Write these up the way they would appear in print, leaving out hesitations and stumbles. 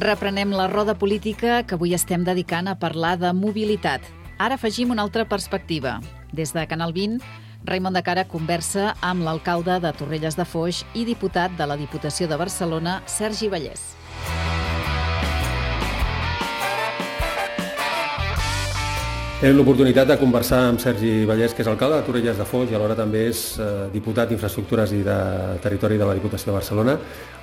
Reprenem la roda política que avui estem dedicant a parlar de mobilitat. Ara afegim una altra perspectiva. Des de Canal 20, Raimon de Cara conversa amb l'alcalde de Torrelles de Foix i diputat de la Diputació de Barcelona, Sergi Vallès. Tenim l'oportunitat de conversar amb Sergi Vallès, que és alcalde de Torrelles de Foix i alhora també és diputat d'Infraestructures i de Territori de la Diputació de Barcelona.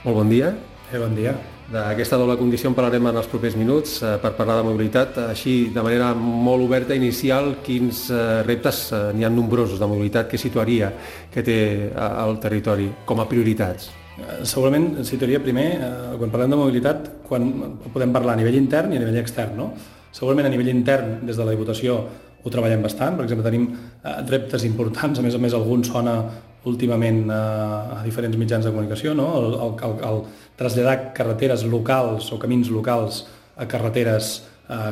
Molt bon dia. Bon dia. D'aquesta doble condició en parlarem en els propers minuts per parlar de mobilitat. Així, de manera molt oberta, inicial, quins reptes n'hi ha nombrosos de mobilitat que situaria, que té el territori com a prioritats? Segurament situaria primer, quan parlem de mobilitat, quan podem parlar a nivell intern i a nivell extern, no? Segurament a nivell intern, des de la Diputació, ho treballem bastant. Per exemple, tenim reptes importants, a més algun sona últimament a diferents mitjans de comunicació, no? El traslladar carreteres locals o camins locals a carreteres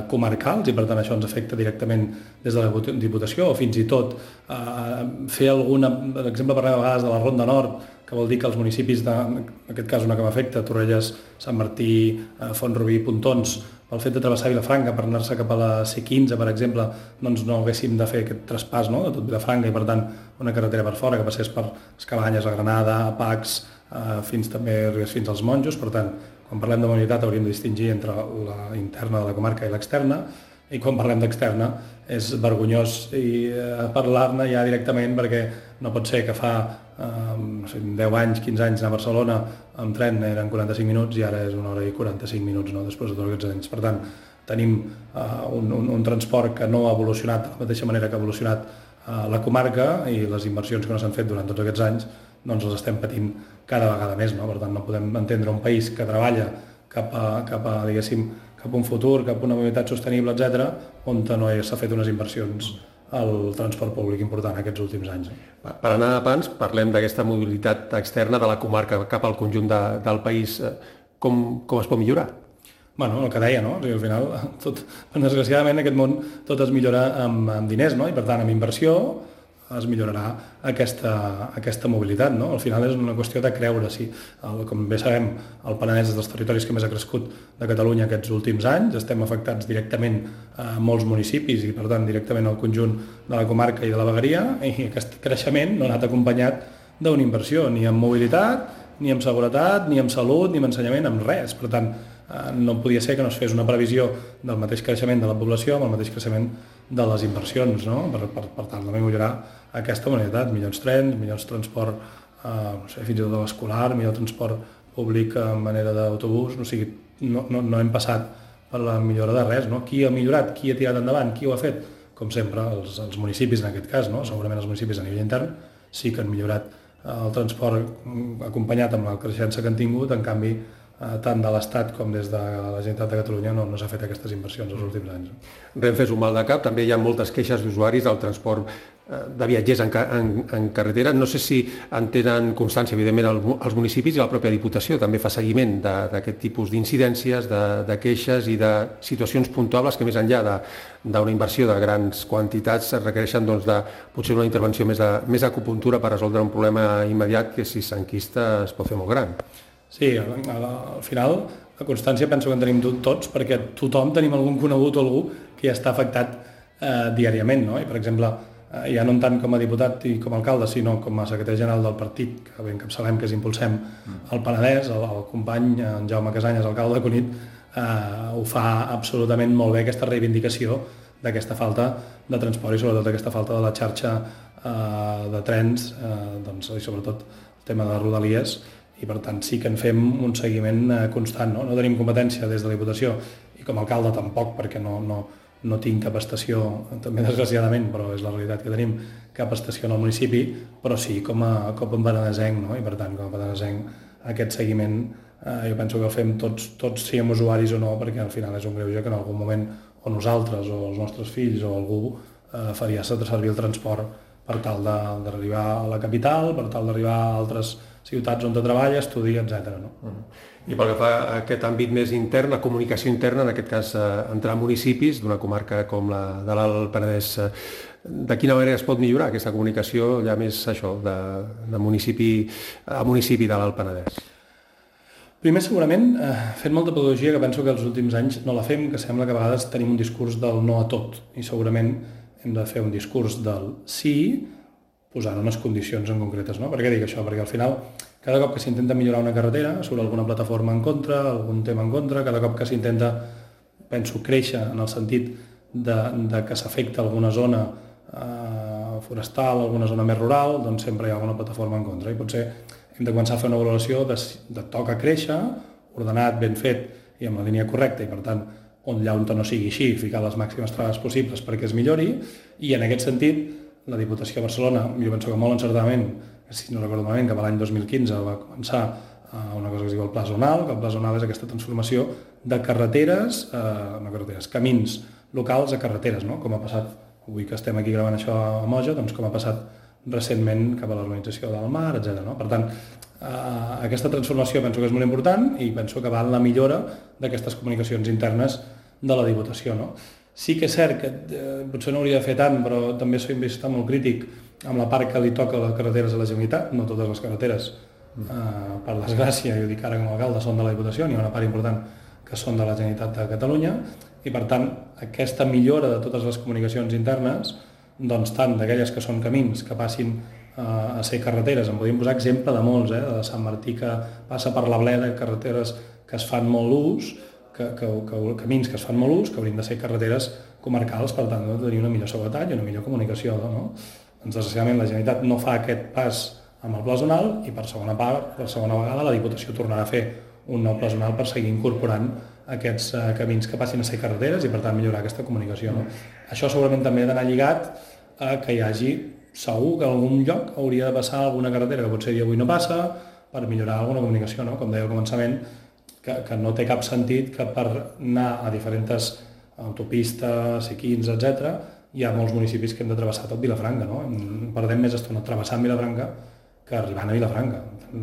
comarcals, i per tant això ens afecta directament des de la Diputació, o fins i tot fer alguna... Per exemple, parlem a vegades de la Ronda Nord, que vol dir que els municipis, en aquest cas una que m'afecta, Torrelles, Sant Martí, Font-rubí, Pontons, pel fet de travessar Vilafranca per anar-se cap a la C15, per exemple, doncs no haguéssim de fer aquest traspàs, no?, de tot Vilafranca, i per tant una carretera per fora que passés per les Cabanyes, a Granada, a Pacs, fins als Monjos. Per tant, quan parlem de mobilitat hauríem de distingir entre la interna de la comarca i l'externa, i quan parlem d'externa és vergonyós parlar-ne ja directament, perquè no pot ser que fa 10 anys, 15 anys a Barcelona amb tren eren 45 minuts i ara és 1 hora i 45 minuts, no?, després de tots aquests anys. Per tant, tenim un transport que no ha evolucionat de la mateixa manera que ha evolucionat la comarca, i les inversions que no s'han fet durant tots aquests anys doncs les estem patint cada vegada més, no? Per tant, no podem entendre un país que treballa cap a un futur, cap a una mobilitat sostenible, etc., on no s'ha fet unes inversions al transport públic important aquests últims anys. Per anar a pans, parlem d'aquesta mobilitat externa de la comarca cap al conjunt del país. Com es pot millorar? Bueno, el que deia, no? O sigui, al final, desgraciadament, en aquest món tot es millora amb diners, no? I per tant, amb inversió es millorarà aquesta mobilitat, no? Al final és una qüestió de creure-s'hi. Com bé sabem, el Penedès és dels territoris que més ha crescut de Catalunya aquests últims anys. Estem afectats directament a molts municipis i, per tant, directament al conjunt de la comarca i de la vegueria, i aquest creixement no ha anat acompanyat d'una inversió, ni en mobilitat, ni en seguretat, ni en salut, ni en ensenyament, amb res. Per tant, no podia ser que no es fes una previsió del mateix creixement de la població amb el mateix creixement de les inversions, no? Per tal de millorar aquesta mobilitat, millors trens, millors transport, fins i tot escolar, millor transport públic en manera d'autobús. O sigui, no hem passat per la millora de res, no? Qui ha millorat, qui ha tirat endavant, qui ho ha fet? Com sempre, els municipis en aquest cas, no? Segurament els municipis a nivell intern sí que han millorat el transport acompanyat amb la creixença que han tingut. En canvi, tant de l'Estat com des de la Generalitat de Catalunya no s'ha fet aquestes inversions els últims anys. Renfe és un mal de cap, també hi ha moltes queixes d'usuaris del transport de viatgers en carretera. No sé si en tenen constància, evidentment, els municipis, i la pròpia Diputació també fa seguiment d'aquest tipus d'incidències, de queixes i de situacions puntuables que, més enllà d'una inversió de grans quantitats, requereixen potser una intervenció més acupuntura per resoldre un problema immediat que, si s'enquista, es pot fer molt gran. Sí, al final la constància penso que en tenim tots, perquè tothom tenim algun conegut o algú que ja està afectat diàriament, no? I, per exemple, ja no tant com a diputat i com a alcalde, sinó com a secretari general del partit, que encapçalem, que és Impulsem el Penedès, el company en Jaume Casanyes, alcalde de Cunit, ho fa absolutament molt bé, aquesta reivindicació d'aquesta falta de transport i sobretot aquesta falta de la xarxa de trens, i sobretot el tema de Rodalies. I per tant sí que en fem un seguiment constant, no? No tenim competència des de la Diputació, i com a alcalde tampoc, perquè no tinc cap estació, també desgraciadament, però és la realitat que tenim, cap estació en el municipi, però sí com a penedesenc, no? I per tant, com a penedesenc, aquest seguiment jo penso que el fem tots siguem usuaris o no, perquè al final és un greuge que en algun moment o nosaltres o els nostres fills o algú faria servir el transport per tal d'arribar a la capital, per tal d'arribar a altres ciutats on treballa, estudia, etc. No? I pel que fa a aquest àmbit més intern, la comunicació interna, en aquest cas entre municipis d'una comarca com la de l'Alt Penedès, de quina manera es pot millorar aquesta comunicació, ja més això, de municipi a municipi de l'Alt Penedès? Primer, segurament, fent molta pedagogia, que penso que els últims anys no la fem, que sembla que a vegades tenim un discurs del no a tot, i segurament hem de fer un discurs del sí, posant unes condicions en concretes, no? Per què dic això? Perquè al final, cada cop que s'intenta millorar una carretera, surt alguna plataforma en contra, algun tema en contra, cada cop que s'intenta, penso, créixer en el sentit de que s'afecta alguna zona forestal, alguna zona més rural, doncs sempre hi ha alguna plataforma en contra, i potser hem de començar a fer una valoració de toca créixer, ordenat, ben fet i amb la línia correcta, i per tant, allà on no sigui així, ficar les màximes traves possibles perquè es millori, i en aquest sentit, la Diputació de Barcelona, jo penso que molt encertadament, si no recordo malament, que l'any 2015 va començar una cosa que es diu el Pla Zonal, que el Pla Zonal és aquesta transformació de carreteres, camins locals a carreteres, no? Com ha passat, avui que estem aquí gravant això a Moja, doncs com ha passat recentment cap a l'urbanització del Mar, etc. No? Per tant, aquesta transformació penso que és molt important i penso que va en la millora d'aquestes comunicacions internes de la Diputació. No? Sí que és cert que potser no hauria de fer tant, però també soy molt crític amb la part que li toca a les carreteres a la Generalitat. No totes les carreteres, per desgràcia, jo dic ara com a alcalde, són de la Diputació, n'hi ha una part important que són de la Generalitat de Catalunya, i per tant aquesta millora de totes les comunicacions internes, doncs tant d'aquelles que són camins que passin a ser carreteres, en podríem posar exemple de molts, de Sant Martí que passa per la Bleda, carreteres que es fan molt ús, camins que es fan molt ús, que haurien de ser carreteres comarcals, per tant, de tenir una millor seguretat i una millor comunicació. No? Doncs, desgraciadament, la Generalitat no fa aquest pas amb el Pla Zonal i per segona vegada la Diputació tornarà a fer un nou Pla Zonal per seguir incorporant aquests camins que passin a ser carreteres i per tant millorar aquesta comunicació. No? Això segurament també ha d'anar lligat a que hi hagi, segur que en algun lloc hauria de passar alguna carretera que potser avui no passa per millorar alguna comunicació, no? Com deia al començament, que no té cap sentit que per anar a diferents autopistes, C15, etc., hi ha molts municipis que hem de travessar tot Vilafranca. No? Perdem més estona travessant Vilafranca que arribant a Vilafranca.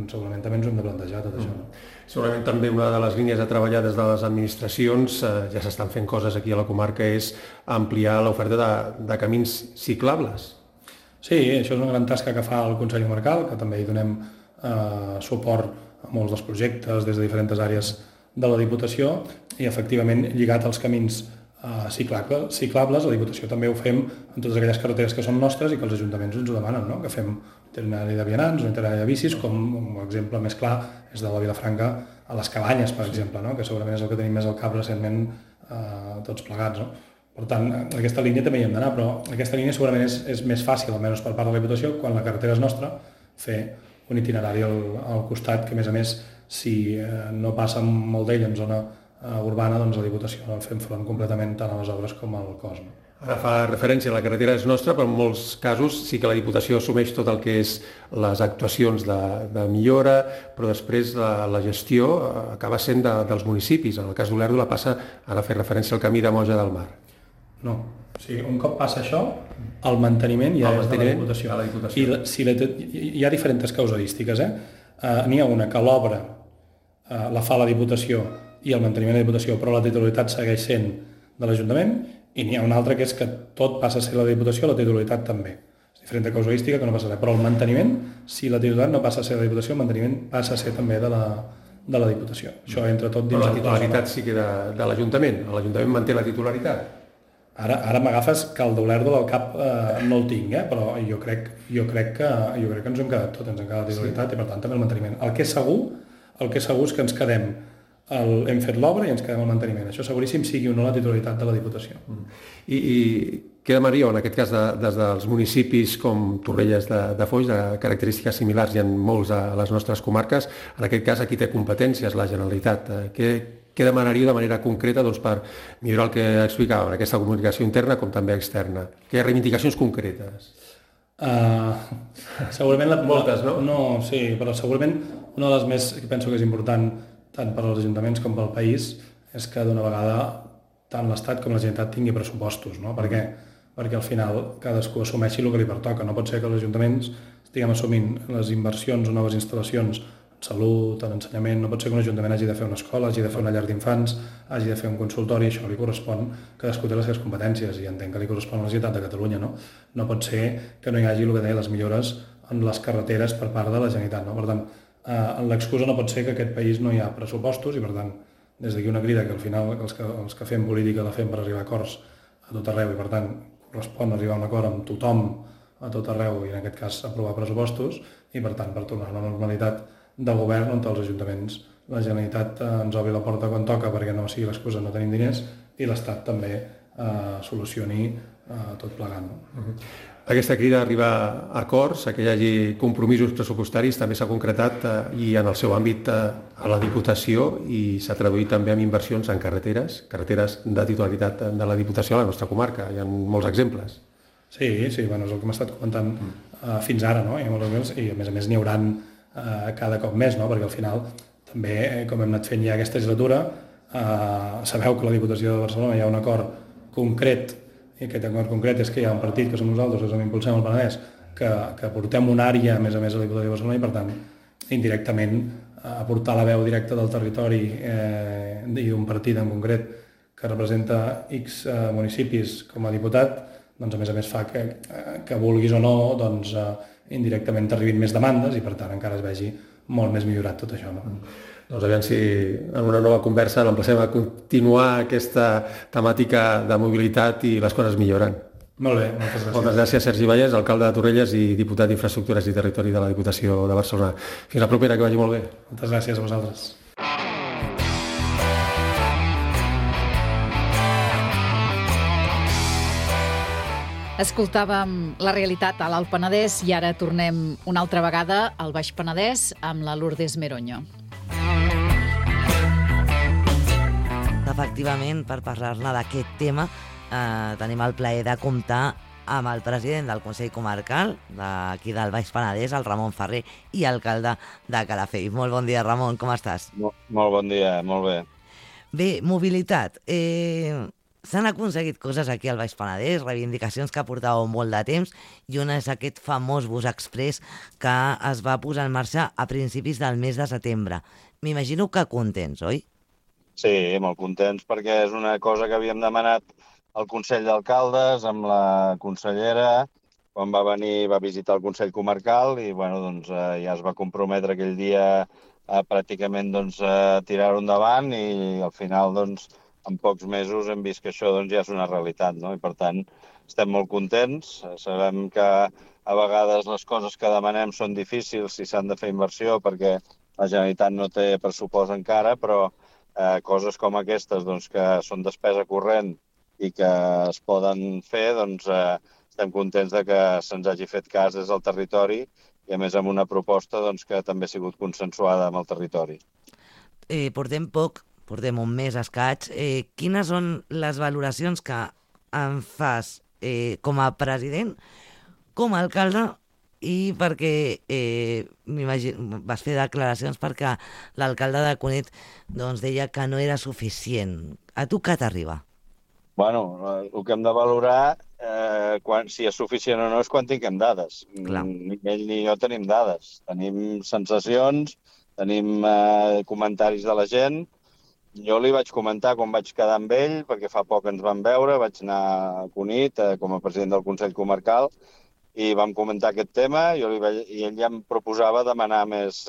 Segurament també ens ho hem de plantejar tot això. No? Segurament també una de les línies a treballar des de les administracions, ja s'estan fent coses aquí a la comarca, és ampliar l'oferta de camins ciclables. Sí, això és una gran tasca que fa el Consell Comarcal, que també hi donem suport a molts dels projectes des de diferents àrees de la Diputació i efectivament lligat als camins ciclables, la Diputació també ho fem en totes aquelles carreteres que són nostres i que els ajuntaments ens ho demanen, no? Que fem itinerari de vianants o itinerari de bicis, com un exemple més clar és de la Vilafranca a les Cabanyes, per exemple, no? Que segurament és el que tenim més al cap recentment tots plegats. No? Per tant, aquesta línia també hi hem d'anar, però aquesta línia segurament és més fàcil, almenys per part de la Diputació, quan la carretera és nostra, fer un itinerari al costat, que a més, si no passa molt d'ell en zona urbana, doncs la Diputació fem front completament tant a les obres com al cos. No? Ara fa referència, la carretera és nostra, però en molts casos sí que la Diputació assumeix tot el que és les actuacions de millora, però després la gestió acaba sent dels municipis. En el cas d'Olèrdola passa, ara fer referència al camí de Moja del Mar. No, o sigui, un cop passa això, el manteniment ja és de la Diputació. Hi ha diferents casuístiques. N'hi ha una que l'obra la fa la Diputació i el manteniment de la Diputació, però la titularitat segueix sent de l'Ajuntament, i n'hi ha una altra que és que tot passa a ser la Diputació, la titularitat també. És diferent de casuística que no passa res, però el manteniment, si la titularitat no passa a ser de la Diputació, el manteniment passa a ser també de la Diputació. Això entra tot dins... Però la titularitat sí que de l'Ajuntament. L'Ajuntament manté la titularitat. Ara m'agafes que el d'Olèrdola al cap no el tinc, però jo crec que ens hem quedat tot, ens hem quedat la titularitat i per tant també el manteniment. El que és segur és que ens quedem, hem fet l'obra i ens quedem al manteniment. Això seguríssim sigui o no la titularitat de la Diputació. I què demanaríeu, en aquest cas, des dels municipis com Torrelles de Foix, de característiques similars i en molts de les nostres comarques, en aquest cas aquí té competències la Generalitat. Què demanaríeu de manera concreta per millorar el que explicàvem, aquesta comunicació interna com també externa? Què reivindicacions concretes? Segurament... Moltes, no? No, sí, però segurament una de les més que penso que és important tant per als ajuntaments com pel país és que d'una vegada tant l'Estat com la Generalitat tingui pressupostos, no? Per què? Perquè al final cadascú assumeixi el que li pertoca. No pot ser que els ajuntaments estiguem assumint les inversions o noves instal·lacions en salut, en ensenyament. No pot ser que un ajuntament hagi de fer una escola, hagi de fer una llar d'infants, hagi de fer un consultori, això li correspon, cadascú té les seves competències i entenc que li correspon a la Generalitat de Catalunya. No pot ser que no hi hagi el que deia les millores en les carreteres per part de la Generalitat. No? Per tant, l'excusa no pot ser que aquest país no hi ha pressupostos i, per tant, des d'aquí una crida que al final els que fem política la fem per arribar a acords a tot arreu i, per tant, correspon arribar a un acord amb tothom a tot arreu i, en aquest cas, aprovar pressupostos i, per tant, per tornar a una normalitat de govern on els ajuntaments, la Generalitat ens obri la porta quan toca perquè no sigui l'excusa no tenim diners i l'Estat també solucioni tot plegant. Aquesta crida arriba a acords, que hi hagi compromisos pressupostaris, també s'ha concretat i en el seu àmbit a la Diputació i s'ha traduït també en inversions en carreteres de titularitat de la Diputació a la nostra comarca. Hi ha molts exemples. Sí, bueno, és el que hem estat comentant fins ara, no? Hi ha molts exemples i a més n'hi hauran cada cop més, no? Perquè al final també, com hem anat fent ja aquesta legislatura, sabeu que a la Diputació de Barcelona hi ha un acord concret, i aquest acord concret és que hi ha un partit que som nosaltres, que som Impulsem el Penedès, que portem una àrea, a més a la Diputació de Barcelona, i per tant, indirectament, aportar la veu directa del territori i d'un partit en concret que representa X municipis com a diputat, doncs a més fa que vulguis o no, doncs indirectament t'arribin més demandes i per tant encara es vegi molt més millorat tot això. No? Doncs aviam si en una nova conversa l'emplacem a continuar aquesta temàtica de mobilitat i les coses milloren. Molt bé, moltes gràcies. Moltes gràcies, Sergi Vallès, alcalde de Torrelles i diputat d'Infraestructures i Territori de la Diputació de Barcelona. Fins la propera, que vagi molt bé. Moltes gràcies a vosaltres. Escoltàvem la realitat a l'Alt Penedès i ara tornem una altra vegada al Baix Penedès amb la Lourdes Meroño. Efectivament, per parlar-ne d'aquest tema, tenim el plaer de comptar amb el president del Consell Comarcal d'aquí del Baix Penedès, el Ramon Ferrer, i alcalde de Calafell. Molt bon dia, Ramon, com estàs? Molt bon dia, molt bé. Bé, mobilitat. S'han aconseguit coses aquí al Baix Penedès, reivindicacions que portàveu molt de temps, i una és aquest famós bus express que es va posar en marxa a principis del mes de setembre. M'imagino que contents, oi? Sí, molt contents, perquè és una cosa que havíem demanat al Consell d'Alcaldes amb la consellera, quan va venir, va visitar el Consell Comarcal i ja es va comprometre aquell dia pràcticament a tirar-ho endavant i al final en pocs mesos hem vist que això ja és una realitat, no? I per tant estem molt contents. Sabem que a vegades les coses que demanem són difícils si s'han de fer inversió perquè la Generalitat no té pressupost encara, però coses com aquestes que són despesa corrent i que es poden fer, estem contents que se'ns hagi fet cas des del territori i a més amb una proposta que també ha sigut consensuada amb el territori. Portem un mes escaig. Quines són les valoracions que en fas com a president, com a alcalde, i perquè vas fer declaracions perquè l'alcalde de Cunit deia que no era suficient. A tu què t'arriba? Bueno, el que hem de valorar si és suficient o no és quan tinguem dades. Clar. Ni ell ni jo tenim dades. Tenim sensacions, tenim comentaris de la gent. Jo li vaig comentar quan vaig quedar amb ell, perquè fa poc ens vam veure, vaig anar a Cunit com a president del Consell Comarcal i vam comentar aquest tema i ell ja em proposava demanar més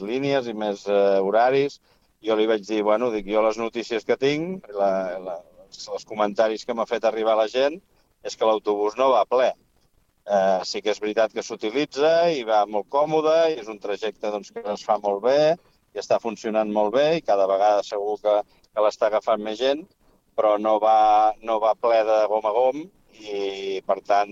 línies i més horaris. Jo li vaig dir, jo les notícies que tinc, els comentaris que m'ha fet arribar la gent, és que l'autobús no va ple. Sí que és veritat que s'utilitza i va molt còmode i és un trajecte que es fa molt bé i està funcionant molt bé i cada vegada segur que l'està agafant més gent, però no va ple de gom a gom i, per tant,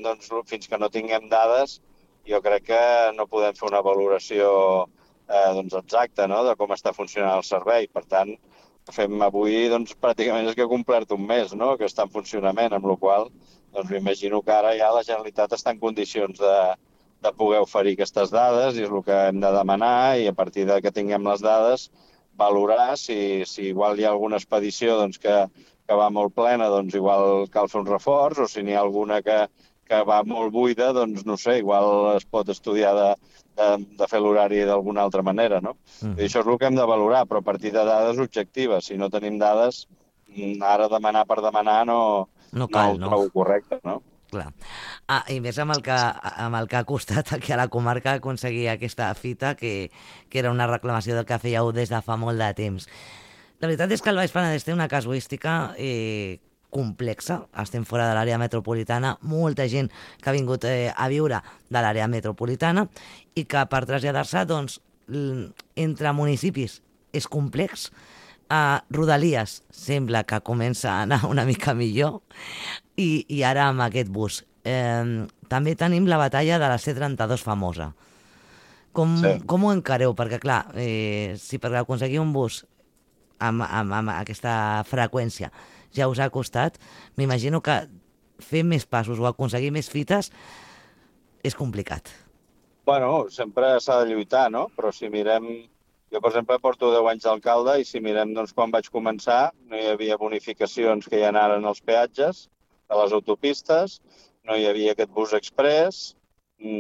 fins que no tinguem dades, jo crec que no podem fer una valoració exacta de com està funcionant el servei. Per tant, fem avui, pràcticament és que ha complert un mes, que està en funcionament, amb la qual cosa m'imagino que ara ja la Generalitat està en condicions de poder oferir aquestes dades i és el que hem de demanar i a partir de que tinguem les dades valorar si igual hi ha alguna expedició que va molt plena, igual cal fer un reforç o si n'hi ha alguna que va molt buida, no sé, igual es pot estudiar de fer l'horari d'alguna altra manera, no? I això és el que hem de valorar, però a partir de dades objectives. Si no tenim dades, ara demanar per demanar no ho trobo correcte, no? Clar. I més amb el que ha costat aquí a la comarca aconseguir aquesta fita, que era una reclamació del que fèieu des de fa molt de temps. La veritat és que el Baix Penedès té una casuística complexa. Estem fora de l'àrea metropolitana, molta gent que ha vingut a viure de l'àrea metropolitana i que per traslladar-se, doncs, entre municipis és complex. Rodalies sembla que comença a anar una mica millor i ara amb aquest bus. També tenim la batalla de la C32 famosa. Com ho encareu? Perquè clar, si per aconseguir un bus amb aquesta freqüència ja us ha costat, m'imagino que fer més passos o aconseguir més fites és complicat. Bueno, sempre s'ha de lluitar, no? Però si mirem... Jo, per exemple, porto 10 anys d'alcalde i si mirem doncs, quan vaig començar no hi havia bonificacions que hi ha ara en els peatges de les autopistes, no hi havia aquest bus express,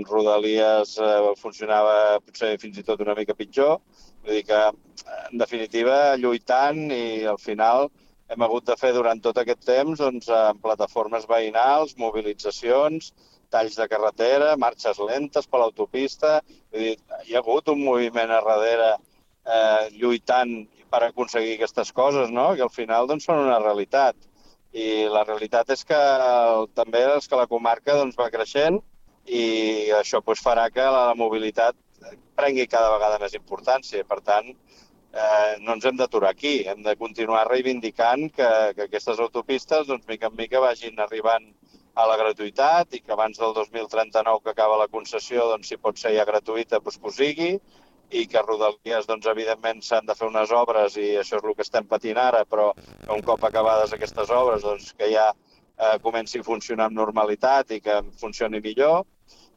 Rodalies funcionava potser fins i tot una mica pitjor. Vull dir que, en definitiva, lluitant i al final hem hagut de fer durant tot aquest temps doncs, en plataformes veïnals, mobilitzacions, talls de carretera, marxes lentes per l'autopista. Vull dir, hi ha hagut un moviment a darrere lluitant per aconseguir aquestes coses, no? Que al final doncs, són una realitat. I la realitat és que també és que la comarca doncs, va creixent i això doncs, farà que la mobilitat prengui cada vegada més importància. Per tant, no ens hem d'aturar aquí. Hem de continuar reivindicant que aquestes autopistes, doncs, mica en mica, vagin arribant a la gratuïtat i que abans del 2039 que acaba la concessió, doncs, si pot ser ja gratuïta, doncs, que ho sigui, i que Rodalies, doncs, evidentment, s'han de fer unes obres i això és el que estem patint ara, però un cop acabades aquestes obres, doncs, que ja comenci a funcionar amb normalitat i que funcioni millor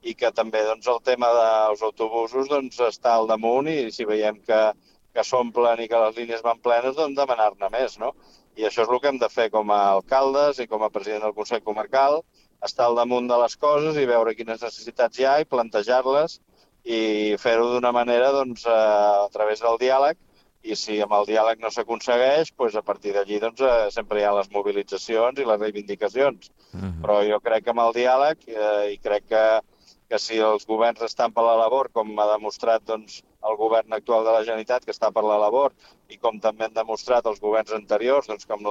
i que també doncs, el tema dels autobusos doncs, està al damunt i si veiem que s'omplen i que les línies van plenes, doncs demanar-ne més, no? I això és el que hem de fer com a alcaldes i com a president del Consell Comarcal, estar al damunt de les coses i veure quines necessitats hi ha i plantejar-les i fer-ho d'una manera doncs, a través del diàleg i si amb el diàleg no s'aconsegueix, doncs a partir d'allí doncs, sempre hi ha les mobilitzacions i les reivindicacions. Però jo crec que amb el diàleg i crec que si els governs estan per la labor, com ha demostrat doncs, el govern actual de la Generalitat que està per la labor i com també han demostrat els governs anteriors, doncs, com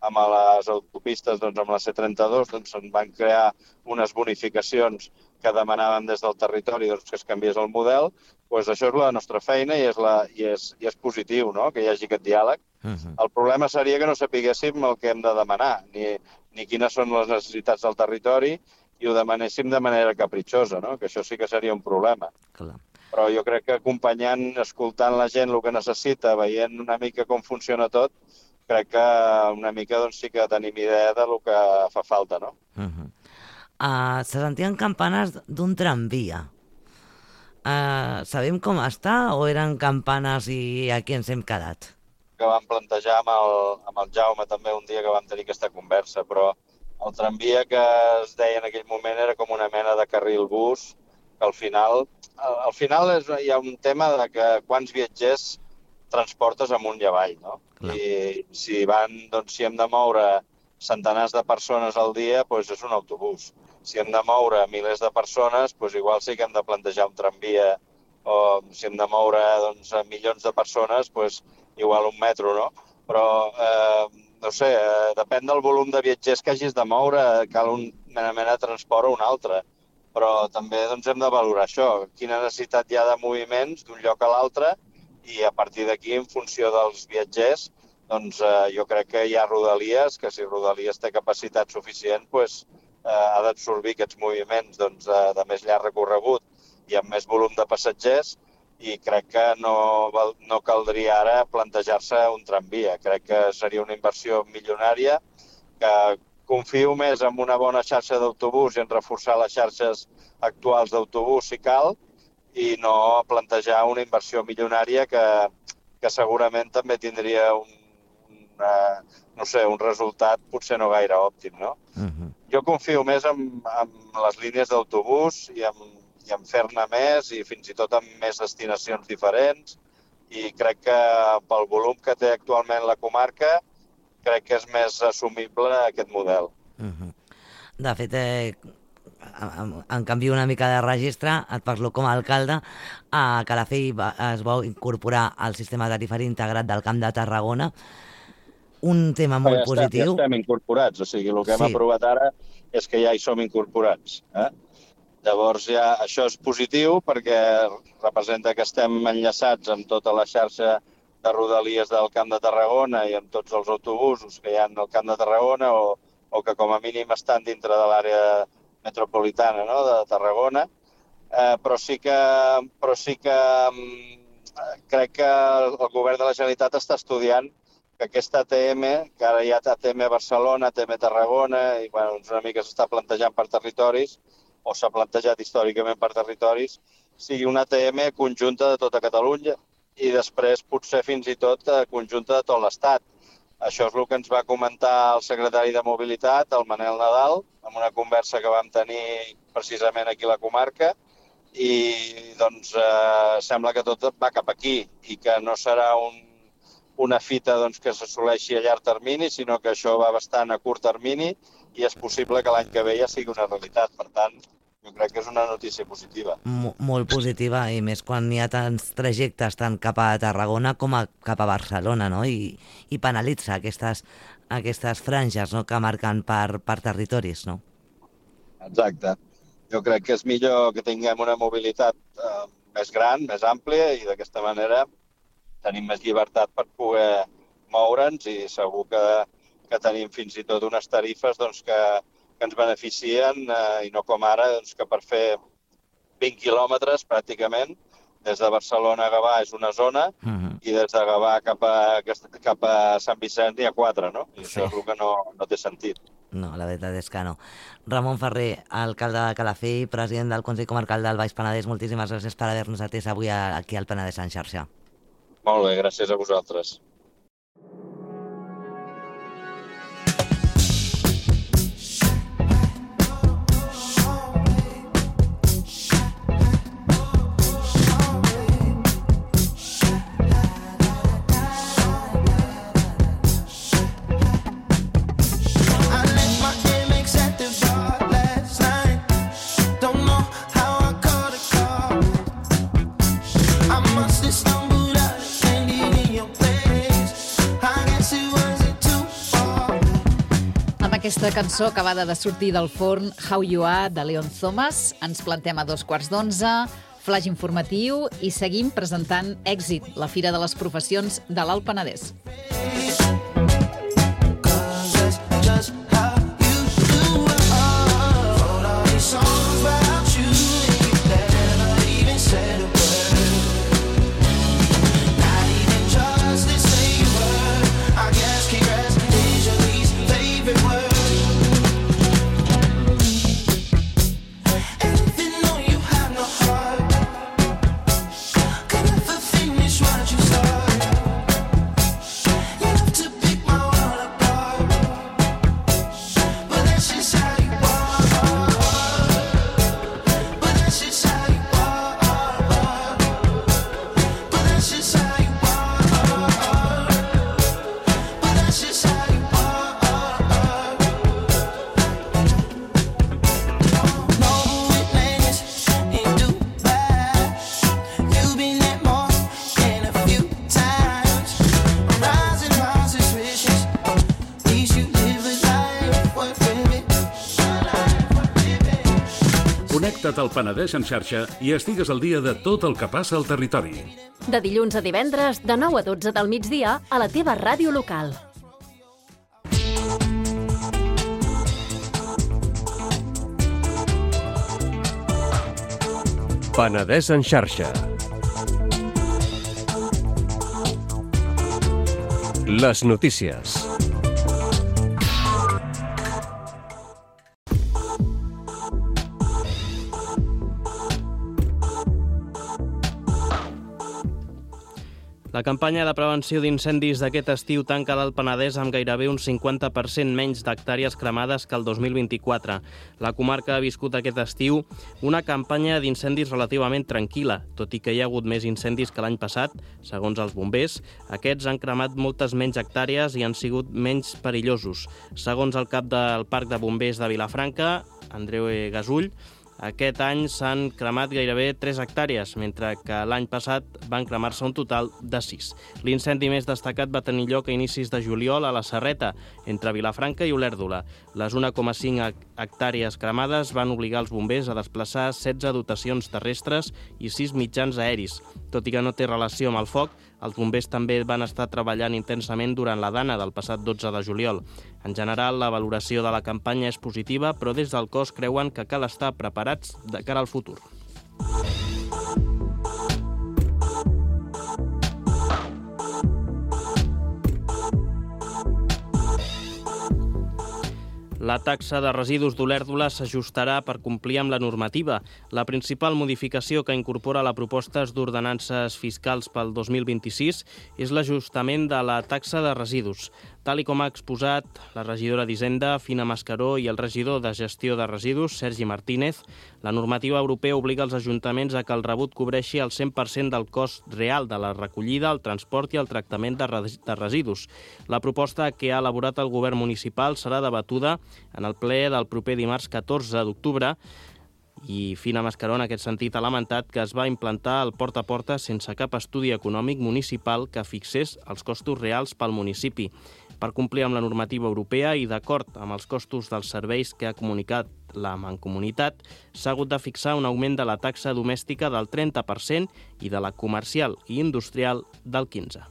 amb les autopistes, doncs, amb la C32, doncs, se'n van crear unes bonificacions que demanàvem des del territori doncs, que es canviés el model, doncs això és la nostra feina i és positiu, no?, que hi hagi aquest diàleg. El problema seria que no sapiguéssim el que hem de demanar, ni quines són les necessitats del territori i ho demanéssim de manera capritxosa, no?, que això sí que seria un problema. Clar. Però jo crec que acompanyant, escoltant la gent el que necessita, veient una mica com funciona tot, crec que una mica doncs, sí que tenim idea del que fa falta, no? Se sentien campanes d'un tramvia. Sabem com està o eren campanes i aquí ens hem quedat? Que vam plantejar amb el Jaume també un dia que vam tenir aquesta conversa, però el tramvia que es deia en aquell moment era com una mena de carril bus, que al final hi ha un tema de que quants viatgers transportes amunt i avall, no? Clar. I si hem de moure centenars de persones al dia, doncs és un autobús. Si hem de moure milers de persones, doncs igual sí que hem de plantejar un tramvia, o si hem de moure doncs, milions de persones, doncs igual un metro, no? Però, no sé, depèn del volum de viatgers que hagis de moure, cal una mena de transport o un altre. Però també doncs, hem de valorar això, quina necessitat hi ha de moviments d'un lloc a l'altre i a partir d'aquí, en funció dels viatgers, doncs jo crec que hi ha Rodalies, que si Rodalies té capacitat suficient, doncs ha d'absorbir aquests moviments doncs, de més llarg recorregut i amb més volum de passatgers i crec que no caldria ara plantejar-se un tramvia. Crec que seria una inversió milionària que confio més en una bona xarxa d'autobús i en reforçar les xarxes actuals d'autobús si cal i no plantejar una inversió milionària que segurament també tindria un resultat potser no gaire òptim, no? Jo confio més en les línies d'autobús i en fer-ne més i fins i tot en més destinacions diferents i crec que pel volum que té actualment la comarca crec que és més assumible aquest model. De fet, en canvi una mica de registre, et parlo com a alcalde, a Calafell es va incorporar al sistema tarifari integrat del Camp de Tarragona, un tema molt positiu. Ja estem incorporats, o sigui, el que hem aprovat ara és que ja hi som incorporats. Llavors, això és positiu perquè representa que estem enllaçats amb tota la xarxa de rodalies del Camp de Tarragona i amb tots els autobusos que hi ha al Camp de Tarragona o que com a mínim estan dintre de l'àrea metropolitana, no?, de Tarragona, però sí que crec que el govern de la Generalitat està estudiant que aquesta ATM, que ara hi ha ATM Barcelona, ATM Tarragona, i una mica s'està plantejant per territoris, o s'ha plantejat històricament per territoris, sigui una ATM conjunta de tota Catalunya i després potser fins i tot conjunta de tot l'Estat. Això és el que ens va comentar el secretari de Mobilitat, el Manel Nadal, en una conversa que vam tenir precisament aquí a la comarca, i doncs sembla que tot va cap aquí i que no serà una fita que s'assoleixi a llarg termini, sinó que això va bastant a curt termini i és possible que l'any que ve ja sigui una realitat. Per tant, jo crec que és una notícia positiva. Molt positiva, i més quan hi ha tants trajectes tant cap a Tarragona com cap a Barcelona, no? I penalitza aquestes franges, no?, que marquen per territoris, no? Exacte. Jo crec que és millor que tinguem una mobilitat més gran, més àmplia, i d'aquesta manera tenim més llibertat per poder moure'ns i segur que tenim fins i tot unes tarifes que ens beneficien i no com ara, que per fer 20 quilòmetres pràcticament, des de Barcelona a Gavà és una zona i des de Gavà cap a Sant Vicenç n'hi ha 4, no? I això és el que no té sentit. No, la veritat és que no. Ramon Ferrer, alcalde de Calafell, president del Consell Comarcal del Baix Penedès, moltíssimes gràcies per haver-nos atès avui aquí al Penedès en xarxa. Molt bé, gràcies a vosaltres. Aquesta cançó acabada de sortir del forn, How You Are, de Leon Thomas. Ens plantem a 2:15, flash informatiu i seguim presentant Èxit, la Fira de les Professions de l'Alt Penedès. Connecta't al Penedès en xarxa i estigues al dia de tot el que passa al territori. De dilluns a divendres, de 9 a 12 del migdia, a la teva ràdio local. Penedès en xarxa. Les notícies. La campanya de prevenció d'incendis d'aquest estiu tanca l'Alt Penedès amb gairebé un 50% menys d'hectàrees cremades que el 2024. La comarca ha viscut aquest estiu una campanya d'incendis relativament tranquil·la, tot i que hi ha hagut més incendis que l'any passat. Segons els bombers, aquests han cremat moltes menys hectàrees i han sigut menys perillosos. Segons el cap del Parc de Bombers de Vilafranca, Andreu Gasull, aquest any s'han cremat gairebé 3 hectàrees, mentre que l'any passat van cremar-se un total de 6. L'incendi més destacat va tenir lloc a inicis de juliol a la Serreta, entre Vilafranca i Olèrdola. Les 1,5 hectàrees cremades van obligar els bombers a desplaçar 16 dotacions terrestres i 6 mitjans aeris. Tot i que no té relació amb el foc, els bombers també van estar treballant intensament durant la dana del passat 12 de juliol. En general, la valoració de la campanya és positiva, però des del cos creuen que cal estar preparats de cara al futur. La taxa de residus d'Olèrdola s'ajustarà per complir amb la normativa. La principal modificació que incorpora la proposta d'ordenances fiscals pel 2026 és l'ajustament de la taxa de residus. Tal com ha exposat la regidora d'Hisenda, Fina Mascaró, i el regidor de Gestió de Residus, Sergi Martínez, la normativa europea obliga els ajuntaments a que el rebut cobreixi el 100% del cost real de la recollida, el transport i el tractament de residus. La proposta que ha elaborat el govern municipal serà debatuda en el ple del proper dimarts 14 d'octubre, i Fina Mascaró en aquest sentit ha lamentat que es va implantar el porta a porta sense cap estudi econòmic municipal que fixés els costos reals pel municipi. Per complir amb la normativa europea i d'acord amb els costos dels serveis que ha comunicat la Mancomunitat, s'ha hagut de fixar un augment de la taxa domèstica del 30% i de la comercial i industrial del 15%.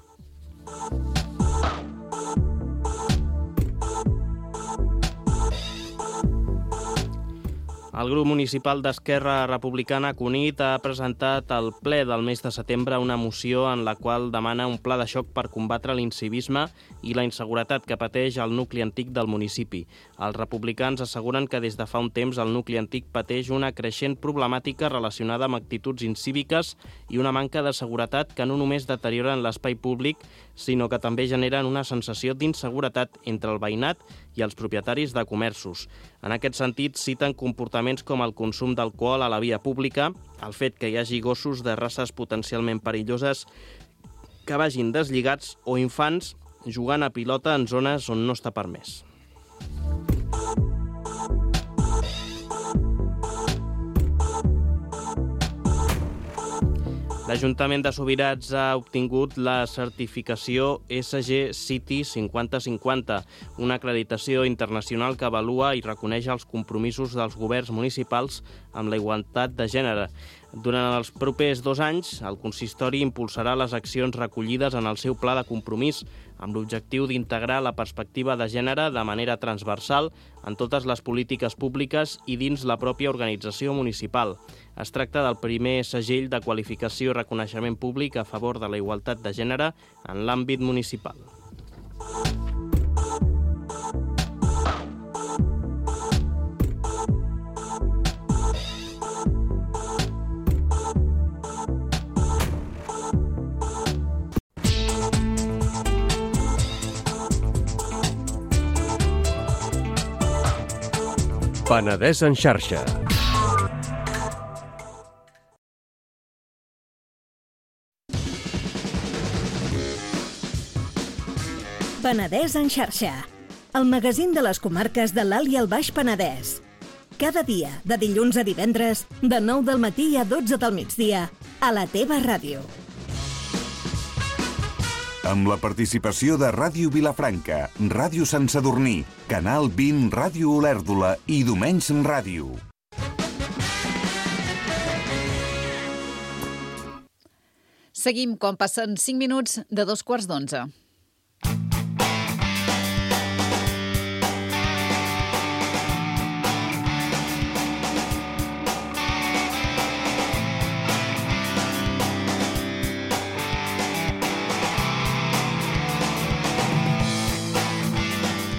El grup municipal d'Esquerra Republicana Cunit ha presentat al ple del mes de setembre una moció en la qual demana un pla de xoc per combatre l'incivisme i la inseguretat que pateix el nucli antic del municipi. Els republicans asseguren que des de fa un temps el nucli antic pateix una creixent problemàtica relacionada amb actituds incíviques i una manca de seguretat que no només deterioren l'espai públic, sinó que també generen una sensació d'inseguretat entre el veïnat i els propietaris de comerços. En aquest sentit, citen comportaments com el consum d'alcohol a la via pública, el fet que hi hagi gossos de races potencialment perilloses que vagin deslligats o infants jugant a pilota en zones on no està permès. L'Ajuntament de Subirats ha obtingut la certificació SG City 5050, una acreditació internacional que avalua i reconeix els compromisos dels governs municipals amb la igualtat de gènere. Durant els propers 2 anys, el consistori impulsarà les accions recollides en el seu pla de compromís, amb l'objectiu d'integrar la perspectiva de gènere de manera transversal en totes les polítiques públiques i dins la pròpia organització municipal. Es tracta del primer segell de qualificació i reconeixement públic a favor de la igualtat de gènere en l'àmbit municipal. Penedès en xarxa. Penedès en xarxa, el magazín de les comarques de l'Alt i el Baix Penedès. Cada dia, de dilluns a divendres, de 9 del matí a 12 del migdia, a la teva ràdio. Amb la participació de Ràdio Vilafranca, Ràdio Sant Sadurní, Canal 20, Ràdio Olèrdola i Domenys Ràdio. Seguim quan passen 5 minuts de 11:15.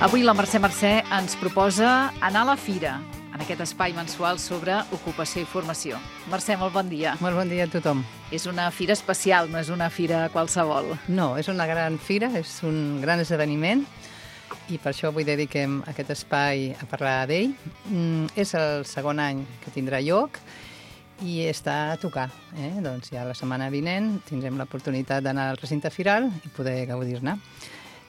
Avui la Mercè ens proposa anar a la fira. en aquest espai mensual sobre ocupació i formació. Mercè, molt bon dia. Molt bon dia a tothom. És una fira especial, no és una fira qualsevol. No, és una gran fira, és un gran esdeveniment i per això avui dediquem aquest espai a parlar d'ell. És el segon any que tindrà lloc i està a tocar. Doncs ja la setmana vinent tindrem l'oportunitat d'anar al recinte firal i poder gaudir-ne.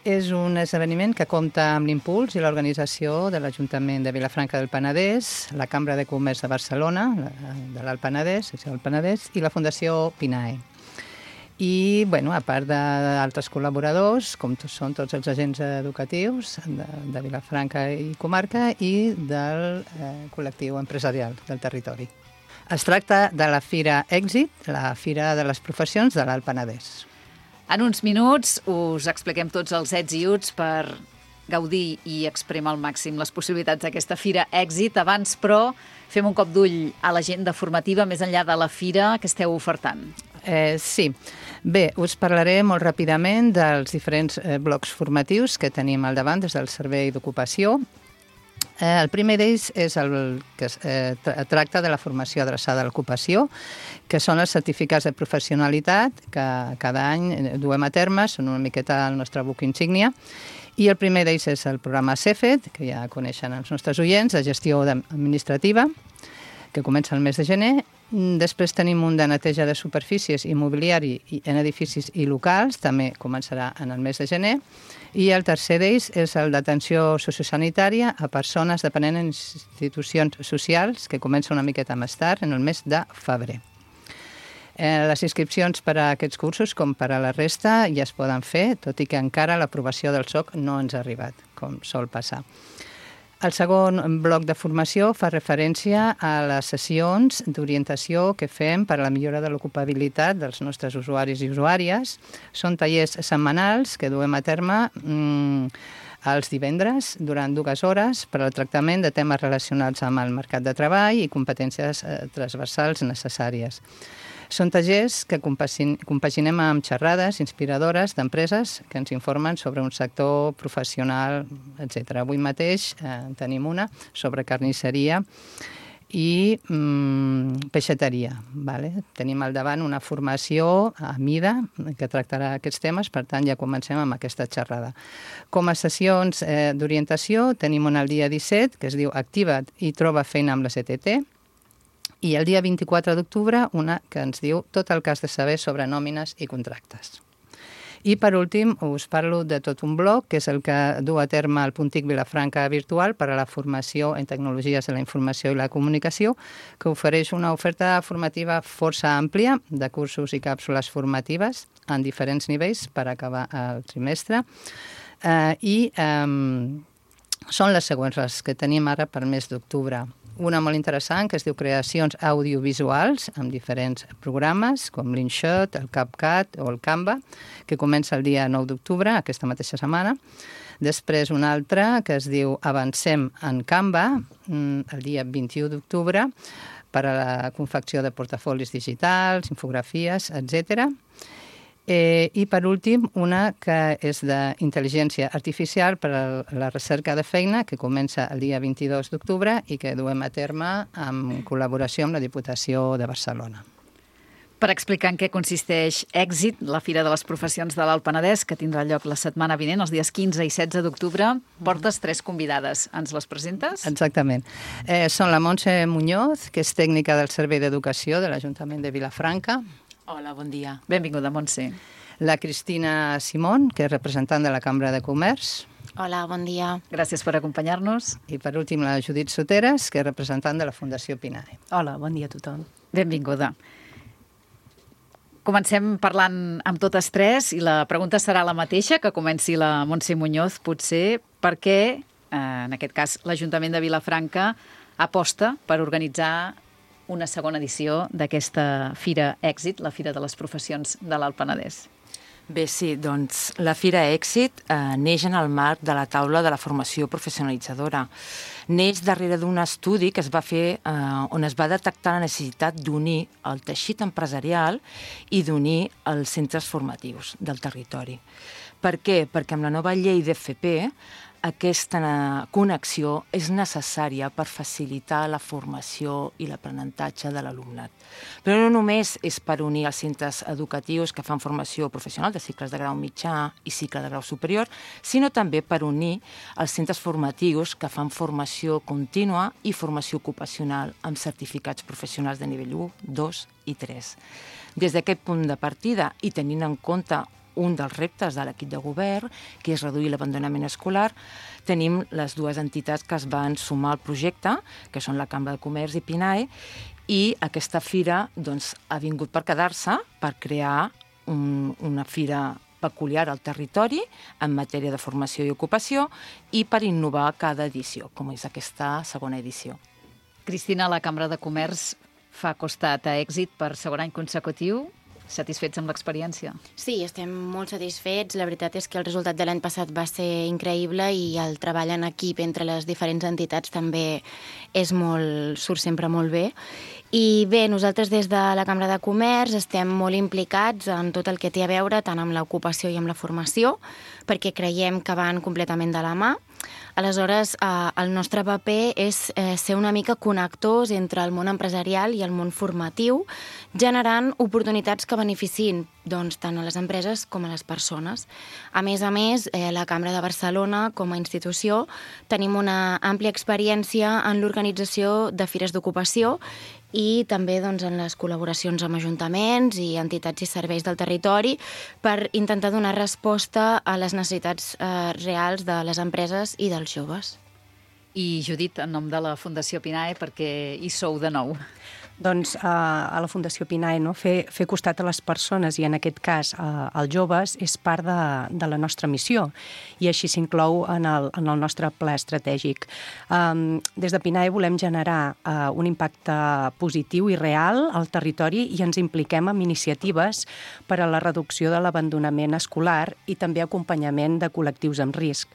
És un esdeveniment que compta amb l'impuls i l'organització de l'Ajuntament de Vilafranca del Penedès, la Cambra de Comerç de Barcelona, de l'Alt Penedès, secció del Penedès, i la Fundació PINAE. I, a part d'altres col·laboradors, com són tots els agents educatius de Vilafranca i comarca i del col·lectiu empresarial del territori. Es tracta de la Fira Èxit, la Fira de les Professions de l'Alt Penedès. En uns minuts us expliquem tots els ets i uts per gaudir i exprimir al màxim les possibilitats d'aquesta Fira Èxit. Abans, però, fem un cop d'ull a l'agenda formativa més enllà de la fira que esteu ofertant. Sí. Bé, us parlaré molt ràpidament dels diferents blocs formatius que tenim al davant des del Servei d'Ocupació. El primer d'ells és el que tracta de la formació adreçada a l'ocupació, que són els certificats de professionalitat que cada any duem a terme, són una miqueta el nostre buc insígnia, i el primer d'ells és el programa CEFET, que ja coneixen els nostres oients, de gestió administrativa, que comença el mes de gener. Després tenim un de neteja de superfícies i mobiliari en edificis i locals, també començarà en el mes de gener. I el tercer d'ells és el d'atenció sociosanitària a persones dependents en institucions socials, que comença una miqueta més tard, en el mes de febrer. Les inscripcions per a aquests cursos, com per a la resta, ja es poden fer, tot i que encara l'aprovació del SOC no ens ha arribat, com sol passar. El segon bloc de formació fa referència a les sessions d'orientació que fem per a la millora de l'ocupabilitat dels nostres usuaris i usuàries. Són tallers setmanals que duem a terme els divendres durant 2 hores per al tractament de temes relacionats amb el mercat de treball i competències transversals necessàries. Són tallers que compaginem amb xerrades inspiradores d'empreses que ens informen sobre un sector professional, etc. Avui mateix tenim una sobre carnisseria i peixateria. Tenim al davant una formació a mida que tractarà aquests temes, per tant ja comencem amb aquesta xerrada. Com a sessions d'orientació tenim una el dia 17 que es diu Activa't i troba feina amb la CTT, i el dia 24 d'octubre una que ens diu tot el que has de saber sobre nòmines i contractes. I per últim us parlo de tot un bloc, que és el que du a terme el Puntic Vilafranca Virtual per a la formació en tecnologies de la informació i la comunicació, que ofereix una oferta formativa força àmplia de cursos i càpsules formatives en diferents nivells per acabar el trimestre. Són les següents les que tenim ara per mes d'octubre. Una molt interessant que es diu Creacions audiovisuals amb diferents programes com l'InShot, el CapCut o el Canva, que comença el dia 9 d'octubre, aquesta mateixa setmana. Després una altra que es diu Avancem en Canva, el dia 21 d'octubre, per a la confecció de portafolis digitals, infografies, etc. I per últim una que és d'intel·ligència artificial per a la recerca de feina, que comença el dia 22 d'octubre i que duem a terme en col·laboració amb la Diputació de Barcelona. Per explicar en què consisteix Èxit, la Fira de les Professions de l'Alt Penedès, que tindrà lloc la setmana vinent, els dies 15 i 16 d'octubre, portes 3 convidades. Ens les presentes? Exactament. Són la Montse Muñoz, que és tècnica del Servei d'Educació de l'Ajuntament de Vilafranca. Hola, bon dia. Benvinguda, Montse. La Cristina Simón, que és representant de la Cambra de Comerç. Hola, bon dia. Gràcies per acompanyar-nos. I per últim la Judit Soteres, que és representant de la Fundació PINAE. Hola, bon dia a tothom. Benvinguda. Comencem parlant amb totes tres i la pregunta serà la mateixa, que comenci la Montse Muñoz, potser, per què, en aquest cas, l'Ajuntament de Vilafranca aposta per organitzar una segona edició d'aquesta Fira Èxit, la Fira de les Professions de l'Alt Penedès. Bé, sí, doncs la Fira Èxit neix en el marc de la taula de la formació professionalitzadora. Neix darrere d'un estudi que es va fer on es va detectar la necessitat d'unir el teixit empresarial i d'unir els centres formatius del territori. Per què? Perquè amb la nova llei d'FP aquesta connexió és necessària per facilitar la formació i l'aprenentatge de l'alumnat. Però no només és per unir els centres educatius que fan formació professional de cicles de grau mitjà i cicle de grau superior, sinó també per unir els centres formatius que fan formació contínua i formació ocupacional amb certificats professionals de nivell 1, 2 i 3. Des d'aquest punt de partida i tenint en compte un dels reptes de l'equip de govern, que és reduir l'abandonament escolar, tenim les dues entitats que es van sumar al projecte, que són la Cambra de Comerç i PINAE, i aquesta fira ha vingut per quedar-se, per crear una fira peculiar al territori en matèria de formació i ocupació i per innovar cada edició, com és aquesta segona edició. Cristina, la Cambra de Comerç fa costat a èxit per segon any consecutiu. Satisfets amb l'experiència? Sí, estem molt satisfets. La veritat és que el resultat de l'any passat va ser increïble i el treball en equip entre les diferents entitats també surt sempre molt bé. I bé, nosaltres des de la Cambra de Comerç estem molt implicats en tot el que té a veure tant amb l'ocupació i amb la formació, perquè creiem que van completament de la mà. Aleshores, el nostre paper és ser una mica connectors entre el món empresarial i el món formatiu, generant oportunitats que beneficin tant a les empreses com a les persones. A més, la Cambra de Barcelona, com a institució, tenim una àmplia experiència en l'organització de fires d'ocupació i també en les col·laboracions amb ajuntaments i entitats i serveis del territori per intentar donar resposta a les necessitats reals de les empreses i dels joves. I Judit, en nom de la Fundació PINAE, perquè hi sou de nou? Doncs a la Fundació PINAE fer costat a les persones i en aquest cas als joves és part de la nostra missió i així s'inclou en el nostre pla estratègic. Des de PINAE volem generar un impacte positiu i real al territori i ens impliquem en iniciatives per a la reducció de l'abandonament escolar i també acompanyament de col·lectius amb risc,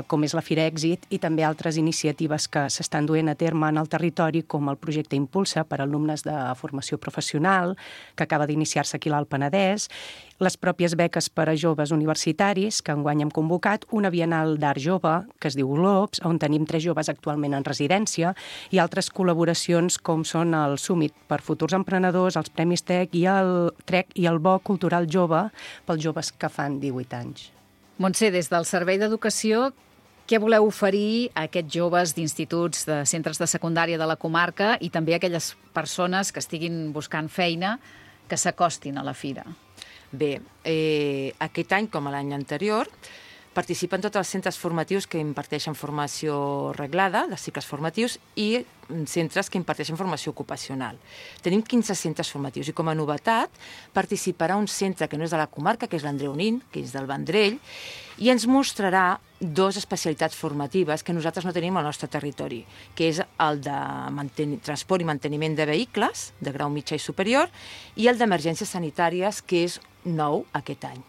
com és la Fira Èxit i també altres iniciatives que s'estan duent a terme en el territori, com el projecte Impulsa per a alumnes de formació professional, que acaba d'iniciar-se aquí a l'Alt Penedès, les pròpies beques per a joves universitaris, que enguany hem convocat, una bienal d'art jove, que es diu Globs, on tenim 3 joves actualment en residència, i altres col·laboracions com són el Summit per futurs emprenedors, els Premis TEC i el Bo Cultural Jove pels joves que fan 18 anys. Montse, des del Servei d'Educació, què voleu oferir a aquests joves d'instituts, de centres de secundària de la comarca i també a aquelles persones que estiguin buscant feina que s'acostin a la fira? Bé, aquest any, com l'any anterior, participen tots els centres formatius que imparteixen formació reglada, de cicles formatius, i centres que imparteixen formació ocupacional. Tenim 15 centres formatius i com a novetat participarà un centre que no és de la comarca, que és l'Andreu Nin, que és del Vendrell, i ens mostrarà 2 especialitats formatives que nosaltres no tenim al nostre territori, que és el de transport i manteniment de vehicles, de grau mitjà i superior, i el d'emergències sanitàries, que és nou aquest any.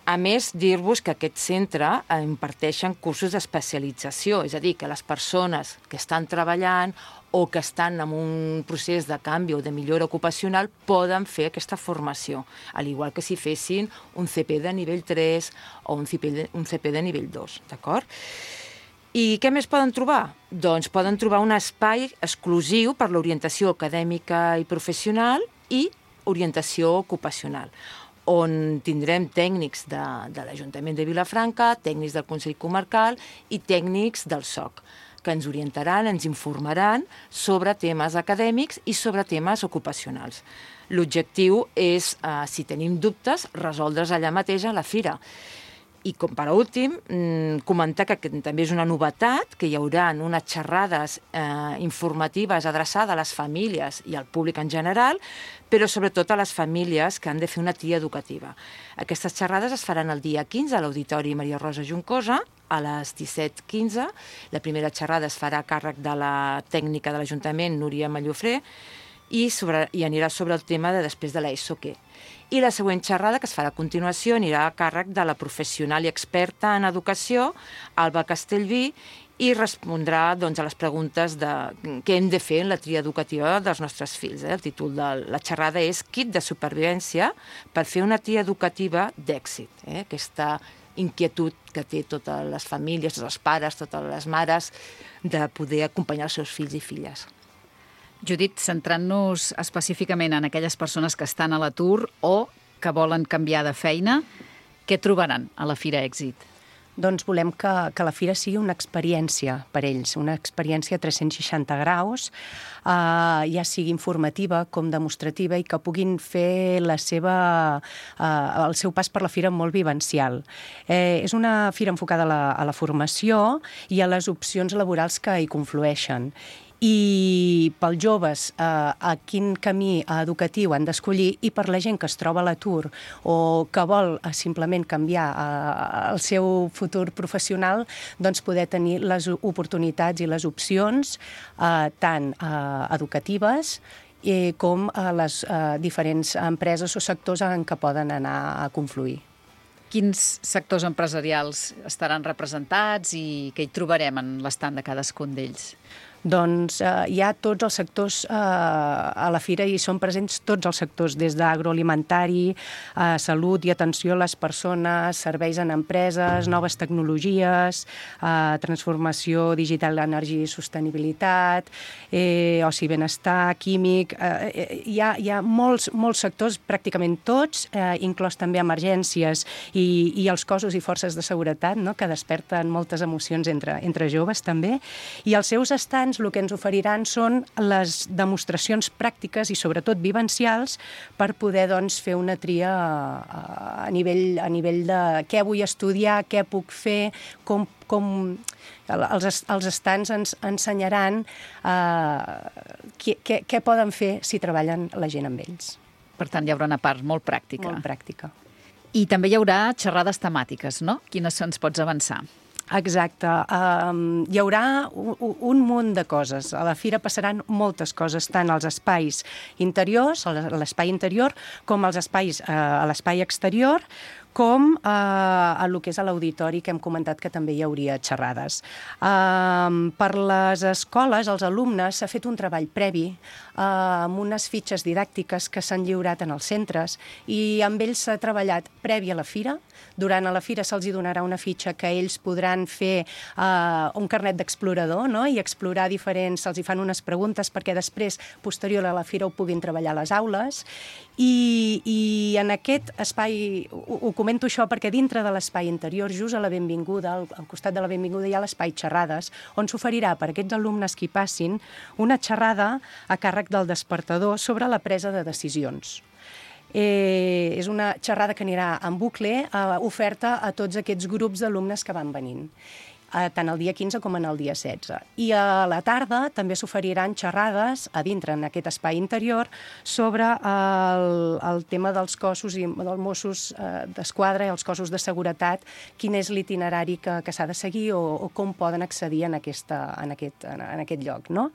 A més, dir-vos que aquest centre imparteixen cursos d'especialització, és a dir, que les persones que estan treballant o que estan en un procés de canvi o de millora ocupacional poden fer aquesta formació, al igual que si fessin un CP de nivell 3 o un CP de nivell 2, d'acord? I què més poden trobar? Doncs poden trobar un espai exclusiu per l'orientació acadèmica i professional i orientació ocupacional, on tindrem tècnics de l'Ajuntament de Vilafranca, tècnics del Consell Comarcal i tècnics del SOC, que ens orientaran, ens informaran sobre temes acadèmics i sobre temes ocupacionals. L'objectiu és, si tenim dubtes, resoldre's allà mateix a la fira. I com per últim, comentar que també és una novetat, que hi haurà unes xerrades informatives adreçades a les famílies i al públic en general, però sobretot a les famílies que han de fer una tria educativa. Aquestes xerrades es faran el dia 15 a l'Auditori Maria Rosa Juncosa, a les 17:15. La primera xerrada es farà a càrrec de la tècnica de l'Ajuntament, Núria Mallofré, i anirà sobre el tema de després de l'ESO què. I la següent xerrada, que es farà a continuació, anirà a càrrec de la professional i experta en educació, Alba Castellví, i respondrà a les preguntes de què hem de fer en la tria educativa dels nostres fills. El títol de la xerrada és Kit de supervivència per fer una tria educativa d'èxit. Aquesta inquietud que té totes les famílies, tots els pares, totes les mares, de poder acompanyar els seus fills i filles. Judit, centrant-nos específicament en aquelles persones que estan a l'atur o que volen canviar de feina, què trobaran a la Fira Èxit? Doncs volem que la fira sigui una experiència per ells, una experiència a 360 graus, ja sigui informativa com demostrativa i que puguin fer el seu pas per la fira molt vivencial. És una fira enfocada a la formació i a les opcions laborals que hi conflueixen. I pels joves, a quin camí educatiu han d'escollir, i per la gent que es troba a l'atur o que vol simplement canviar el seu futur professional, doncs poder tenir les oportunitats i les opcions tant educatives com a les diferents empreses o sectors en què poden anar a confluir. Quins sectors empresarials estaran representats i què hi trobarem en l'estand de cadascun d'ells? Doncs hi ha tots els sectors a la fira i són presents tots els sectors, des d'agroalimentari, salut i atenció a les persones, serveis en empreses, noves tecnologies, transformació digital, energia i sostenibilitat, oci i benestar, químic. Hi ha molts sectors, pràcticament tots, inclòs també emergències i els cossos i forces de seguretat, no?, que desperten moltes emocions entre joves també. I els seus estants el que ens oferiran són les demostracions pràctiques i sobretot vivencials per poder fer una tria a nivell de què vull estudiar, què puc fer, com els estants ens ensenyaran què poden fer si treballen la gent amb ells. Per tant, hi haurà una part molt pràctica. Molt pràctica. I també hi haurà xerrades temàtiques, no? Quines ens pots avançar? Exacte. Hi haurà un munt de coses. A la fira passaran moltes coses, tant als espais interiors, a l'espai interior, com als espais a l'espai exterior, com a el que és a l'auditori, que hem comentat que també hi hauria xerrades. Per les escoles, els alumnes, s'ha fet un treball previ amb unes fitxes didàctiques que s'han lliurat en els centres i amb ells s'ha treballat previ a la fira. Durant a la fira se'ls donarà una fitxa que ells podran fer un carnet d'explorador, no?, i explorar se'ls fan unes preguntes perquè després, posterior a la fira, ho puguin treballar a les aules. I en aquest espai, ho comento això perquè dintre de l'espai interior, just a la benvinguda, al costat de la benvinguda, hi ha l'espai xerrades, on s'oferirà per aquests alumnes que hi passin una xerrada a càrrec del despertador sobre la presa de decisions. És una xerrada que anirà en bucle, oferta a tots aquests grups d'alumnes que van venint, tant el dia 15 com en el dia 16. I a la tarda també s'oferiran xerrades a dintre, en aquest espai interior, sobre el tema dels cossos i dels Mossos d'Esquadra i els cossos de seguretat, quin és l'itinerari que s'ha de seguir o com poden accedir en aquest lloc, no?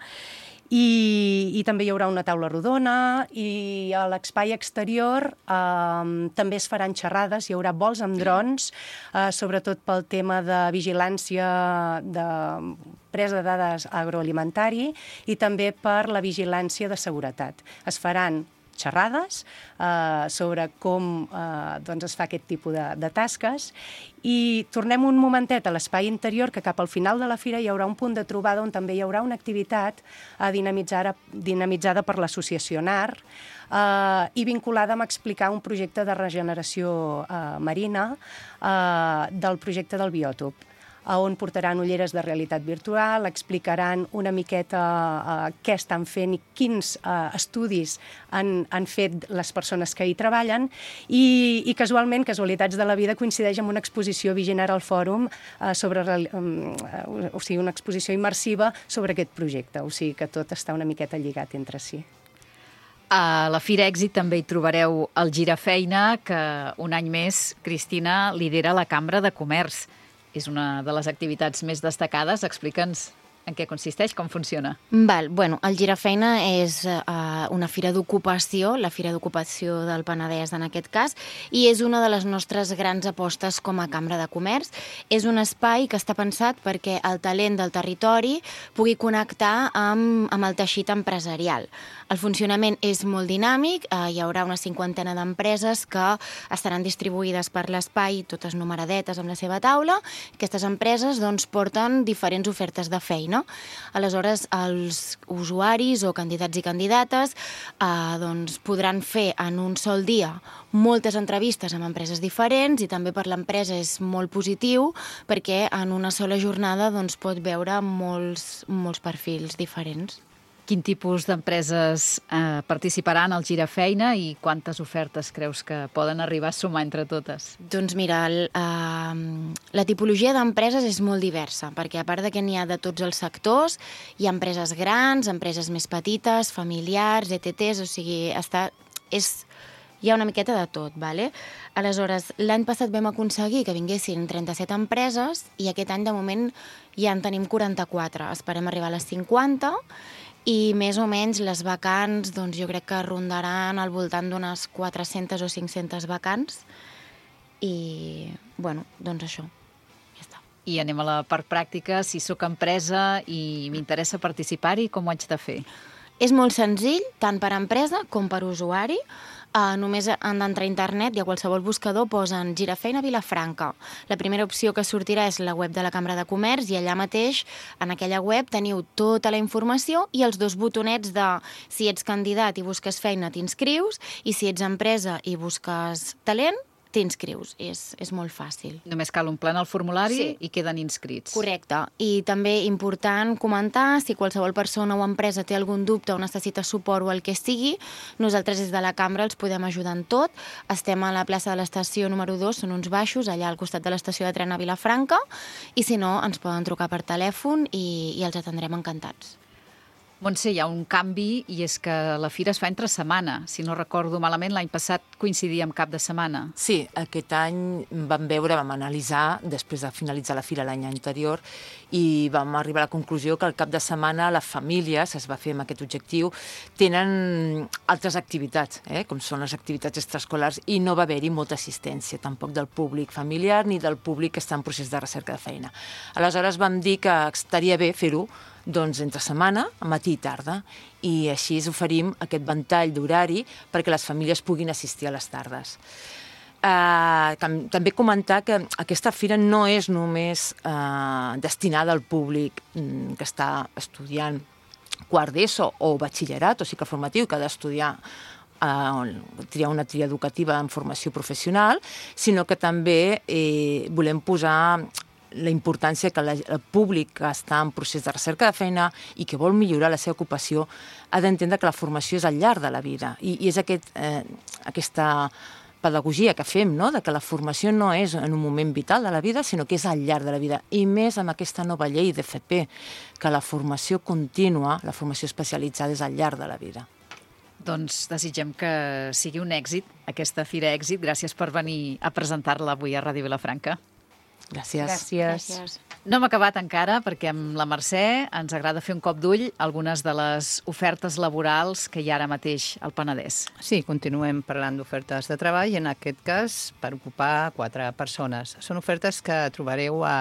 I també hi haurà una taula rodona i a l'espai exterior també es faran xerrades, hi haurà vols amb drons, sobretot pel tema de vigilància, de presa de dades agroalimentari i també per la vigilància de seguretat. Es faran xerrades sobre com es fa aquest tipus de tasques i tornem un momentet a l'espai interior, que cap al final de la fira hi haurà un punt de trobada on també hi haurà una activitat dinamitzada per l'associació NAR i vinculada amb explicar un projecte de regeneració marina del projecte del biòtop, on portaran ulleres de realitat virtual, explicaran una miqueta què estan fent i quins estudis han fet les persones que hi treballen i casualment, casualitats de la vida, coincideix amb una exposició vigent ara al Fòrum o sigui, una exposició immersiva sobre aquest projecte, o sigui que tot està una miqueta lligat entre si. A la Fira Èxit també hi trobareu el Girafeina, que un any més, Cristina, lidera la Cambra de Comerç. És una de les activitats més destacades. Explica'ns En què consisteix? Com funciona? Bueno, el Girafeina és una fira d'ocupació, la Fira d'Ocupació del Penedès en aquest cas, i és una de les nostres grans apostes com a Cambra de Comerç. És un espai que està pensat perquè el talent del territori pugui connectar amb el teixit empresarial. El funcionament és molt dinàmic, hi haurà una 50 d'empreses que estaran distribuïdes per l'espai, totes numeradetes amb la seva taula. Aquestes empreses porten diferents ofertes de feina. Aleshores, els usuaris o candidats i candidates podran fer en un sol dia moltes entrevistes amb empreses diferents, i també per l'empresa és molt positiu perquè en una sola jornada pot veure molts perfils diferents. Quin tipus d'empreses participaran al Girafeina i quantes ofertes creus que poden arribar a sumar entre totes? Doncs mira, la tipologia d'empreses és molt diversa, perquè a part que n'hi ha de tots els sectors, hi ha empreses grans, empreses més petites, familiars, ETTs, o sigui, hi ha una miqueta de tot, ¿vale? Aleshores, l'any passat vam aconseguir que vinguessin 37 empreses i aquest any, de moment, ja en tenim 44. Esperem arribar a les 50 i més o menys les vacants, jo crec que rondaran al voltant d'unes 400 o 500 vacants i, això. I anem a la part pràctica. Si sóc empresa i m'interessa participar-hi, com ho haig de fer? És molt senzill, tant per empresa com per usuari. Només han d'entrar a internet i a qualsevol buscador posen Girafeina Vilafranca. La primera opció que sortirà és la web de la Cambra de Comerç i allà mateix, en aquella web, teniu tota la informació i els 2 botonets de si ets candidat i busques feina t'inscrius i si ets empresa i busques talent t'inscrius. És molt fàcil. Només cal omplir el formulari i queden inscrits. Correcte. I també important comentar, si qualsevol persona o empresa té algun dubte o necessita suport o el que sigui, nosaltres des de la Cambra els podem ajudar en tot. Estem a la plaça de l'estació número 2, són uns baixos, allà al costat de l'estació de tren a Vilafranca, i si no, ens poden trucar per telèfon i els atendrem encantats. Montse, hi ha un canvi i és que la fira es fa entre setmana. Si no recordo malament, l'any passat coincidia amb cap de setmana. Sí, aquest any vam analitzar, després de finalitzar la fira l'any anterior, i vam arribar a la conclusió que el cap de setmana les famílies, es va fer amb aquest objectiu, tenen altres activitats, com són les activitats extraescolars, i no va haver-hi molta assistència, tampoc del públic familiar ni del públic que està en procés de recerca de feina. Aleshores vam dir que estaria bé fer-ho entre setmana, matí i tarda, i així oferim aquest ventall d'horari perquè les famílies puguin assistir a les tardes. També comentar que aquesta fira no és només destinada al públic que està estudiant quart d'ESO o batxillerat o cicle formatiu, que ha d'estudiar triar una tria educativa en formació professional, sinó que també volem posar la importància que el públic que està en procés de recerca de feina i que vol millorar la seva ocupació ha d'entendre que la formació és al llarg de la vida i és aquesta pedagogia que fem, de que la formació no és en un moment vital de la vida, sinó que és al llarg de la vida, i més amb aquesta nova llei d'FP, que la formació contínua, la formació especialitzada és al llarg de la vida. Doncs desitgem que sigui un èxit, aquesta fira èxit. Gràcies per venir a presentar-la avui a Ràdio Vilafranca. Gràcies. No hem acabat encara perquè amb la Mercè ens agrada fer un cop d'ull a algunes de les ofertes laborals que hi ha ara mateix al Penedès. Sí, continuem parlant d'ofertes de treball, en aquest cas per ocupar 4 persones. Són ofertes que trobareu a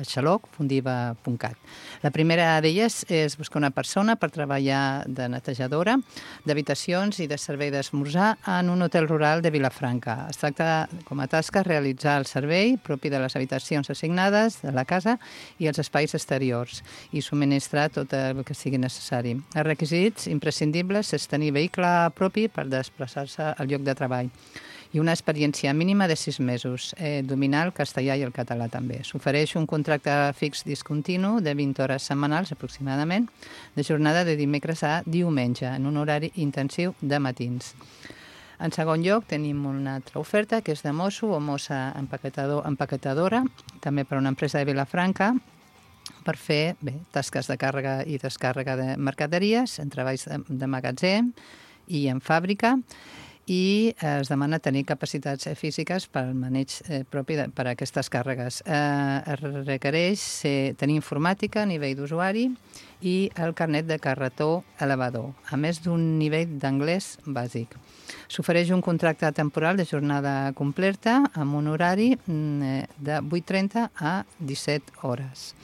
xaloc.fundiva.cat. La primera d'elles és buscar una persona per treballar de netejadora d'habitacions i de servei d'esmorzar en un hotel rural de Vilafranca. Es tracta com a tasca realitzar el servei propi de les habitacions assignades de la casa i els espais exteriors i subministrar tot el que sigui necessari. Els requisits imprescindibles és tenir vehicle propi per desplaçar-se al lloc de treball i una experiència mínima de 6 mesos, dominar el castellà i el català també. S'ofereix un contracte fix discontinu de 20 hores setmanals aproximadament, de jornada de dimecres a diumenge, en un horari intensiu de matins. En segon lloc, tenim una altra oferta, que és de mosso o mossa empaquetadora, també per a una empresa de Vilafranca, per fer tasques de càrrega i descàrrega de mercaderies, en treballs de magatzem i en fàbrica, i es demana tenir capacitats físiques per al maneig propi per a aquestes càrregues. Es requereix tenir informàtica a nivell d'usuari i el carnet de carretó elevador, a més d'un nivell d'anglès bàsic. S'ofereix un contracte temporal de jornada completa amb un horari de 8:30 a 17 hores.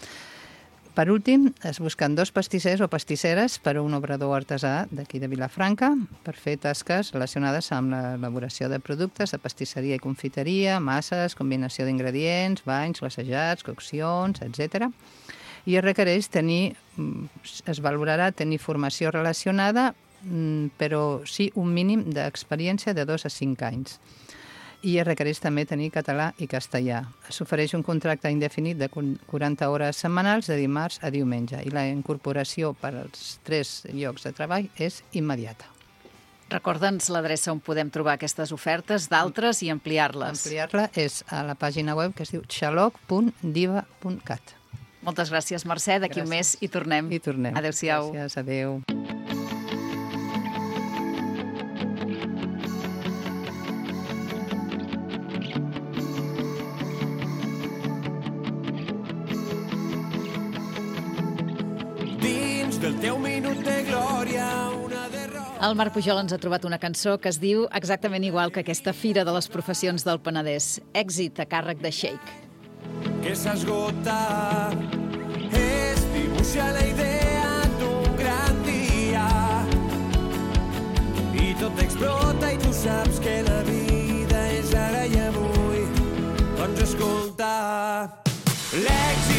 Per últim, es busquen 2 pastissers o pastisseres per a un obrador artesà d'aquí de Vilafranca per fer tasques relacionades amb l'elaboració de productes de pastisseria i confiteria, masses, combinació d'ingredients, banys, glaçejats, coccions, etc. I es requereix es valorarà tenir formació relacionada, però sí un mínim d'experiència de 2 a 5 anys. I es requereix també tenir català i castellà. S'ofereix un contracte indefinit de 40 hores setmanals de dimarts a diumenge i la incorporació per als 3 llocs de treball és immediata. Recorda'ns l'adreça on podem trobar aquestes ofertes, d'altres i ampliar-les. Ampliar-la és a la pàgina web que es diu xaloc.diva.cat. Moltes gràcies, Mercè. D'aquí un mes hi tornem. Hi tornem. Adéu-siau. Gràcies, adéu. Del teu minut de glòria, una derrota... El Marc Pujol ens ha trobat una cançó que es diu exactament igual que aquesta Fira de les Professions del Penedès. Èxit a càrrec de Shake. Que s'esgota, es dibuixa la idea d'un gran dia i tot explota i tu saps que la vida és ara i avui. Doncs escolta, l'èxit